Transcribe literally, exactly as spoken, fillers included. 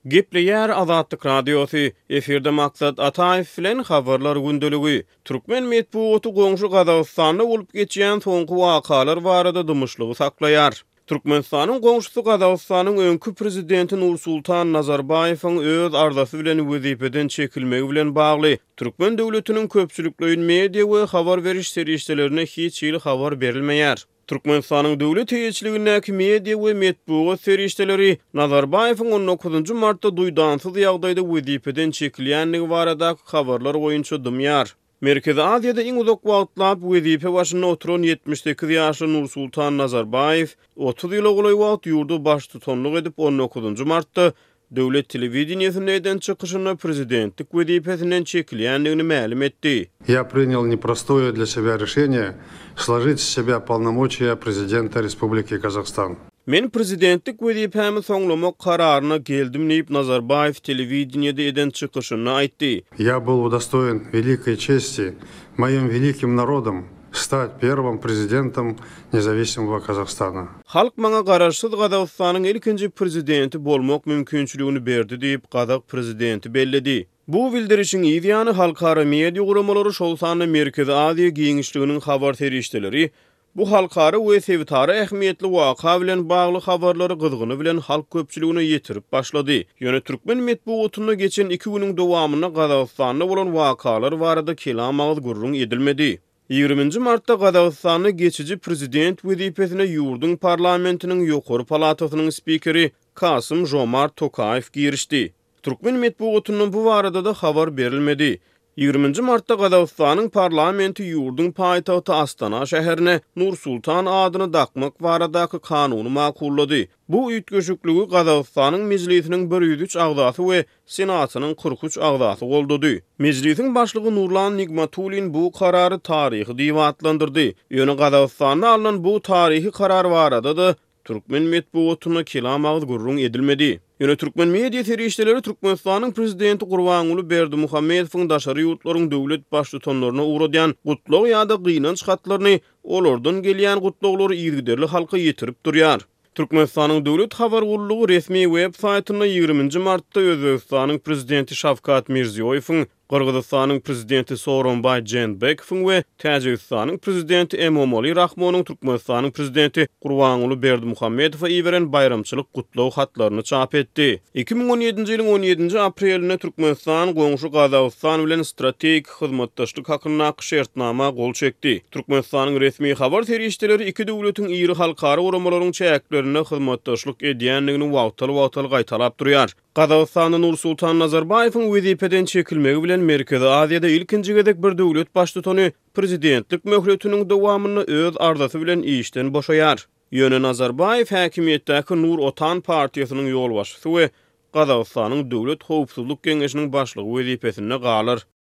Gepleýär Azatlyk Radiosy, efirde Maksat Ataýew bilen Habarlar gündeligi. Türkmen metbugaty goňşy Gazagystanda bolup geçýän soňky wakalar barada dymyşlygy saklaýar. Türkmenistanyň goňşusy Gazagystanyň öňki prezidenti Nursultan Nazarbaýewiň öz arzasy bilen wezipeden çekilmegi bilen bagly türkmen döwletiniň köpçülikleýin media we habar beriş serişdelerine hiç hili habar berilmeýär. Türkmenistanyň döwlet eýeçiligindäki media we metbugat serişdeleri Nazarbaýewiň on dokuzynjy martda duýdansyz ýagdaýda wezipeden çekilýändigi baradaky habarlar boýunça dymýar. Merkezi Aziýada iň uzak wagtlap wezipe başynda oturan ýetmiş sekiz ýaşly Nursultan Nazarbaýew otuz ýyla golaý wagt ýurda baştutanlyk edip on dokuzynjy martda döwlet telewideniýesinde eden çykyşynda prezidentlik wezipesinden çekilýändigini mälim etdi. Я принял непростое для себя решение сложить с себя полномочия президента Республики Казахстан. Men prezidentlik wezipämi soňlamak kararyna geldim diýip Nazarbaýew telewideniýede eden çykyşynda aýtdy. Я был удостоен великой чести моим великим народом стать первым президентом независимого Казахстана. Halk maňa garaşsyz Gazagystanyň ilkinji prezidenti bolmak mümkinçiligini berdi diýip Gazak prezidenti belledi. Bu bildirişiň ýany halkara media guramalary şol sanda Merkezi Aziýa giňişliginiň habar serişdeleri bu halkara we sebitara ähmiýetli waka bilen bagly habarlary gyzgyny bilen halk köpçüligine ýetirip başlady. Ýöne türkmen metbugatynda geçen iki günüň dowamynda Gazagystanda bolan wakalar barada kelam agyz gürrüň edilmedi. Ýigriminji martda Gazagystanda geçici prezident wezipesine ýurduň parlamentiniň ýokary palatasynyň spikeri Kasym Jomart Tokaýew girişdi. Türkmen metbugatyndan bu barada da habar berilmedi. Ýigriminji martda Gazagystanyň parlamenti ýurduň paýtagty Astana şäherine Nursultan adyny dakmak baradaky kanuny makullady. Bu üýtgeşikligi Gazagystanyň mejlisiniň bir ýüz üç agzasy we Senatynyň kyrk üç agzasy goldady. Mejlisiň başlygy Nurlan Nigmatulin bu karary taryhy diýip atlandyrdy. Ýöne Gazagystanda alnan bu taryhy karar barada da türkmen metbugatyna kelam agyz gürrüň edilmedi. Ýöne türkmen media serişdeleri Türkmenistanyň prezidenti Gurbanguly Berdimuhamedowyň daşary ýurtlaryň döwlet baştutanlaryna ugradýan gutlag ýa-da gynanç hatlaryny olardan gelýän gutlaglary yzygiderli halka ýetirip durýar. Türkmenistanyň döwlet habar gullugy resmi web saýtynda ýigriminji martda Özbegistanyň prezidenti Şawkat Mirziýoýewiň, Gyrgyzystanyň prezidenti Sooronbaý Jeenbekowyň we Täjigistanyň prezidenti Emomali Rahmonyň Türkmenistanyň prezidenti Gurbanguly Berdimuhamedowa iberen baýramçylyk gutlag hatlaryny çap etdi. Iki müň on ýedinji ýylyň on ýedinji aprelinde Türkmenistan goňşy Gazagystan bilen strategik hyzmatdaşlyk hakyndaky şertnama gol çekdi. Türkmenistanyň resmi habar serişdeleri iki döwletiň iri halkara guramalaryň çäklerinde hyzmatdaşlyk edýändigini wagtal-wagtal gaýtalap durýar. Gazagystanda Nursultan Nazarbaýewiň wezipeden çekilmegi bilen Merkezi Aziýada ilkinji gezek bir döwlet baştutany prezidentlik möhletiniň dowamynda öz arzasy bilen işden boşaýar. Ýöne Nazarbaýew häkimiýetdäki Nur Otan partiýasynyň ýolbaşçysy we Gazagystanyň Döwlet Howpsuzlyk Geňeşiniň başlygy wezipesinde galar.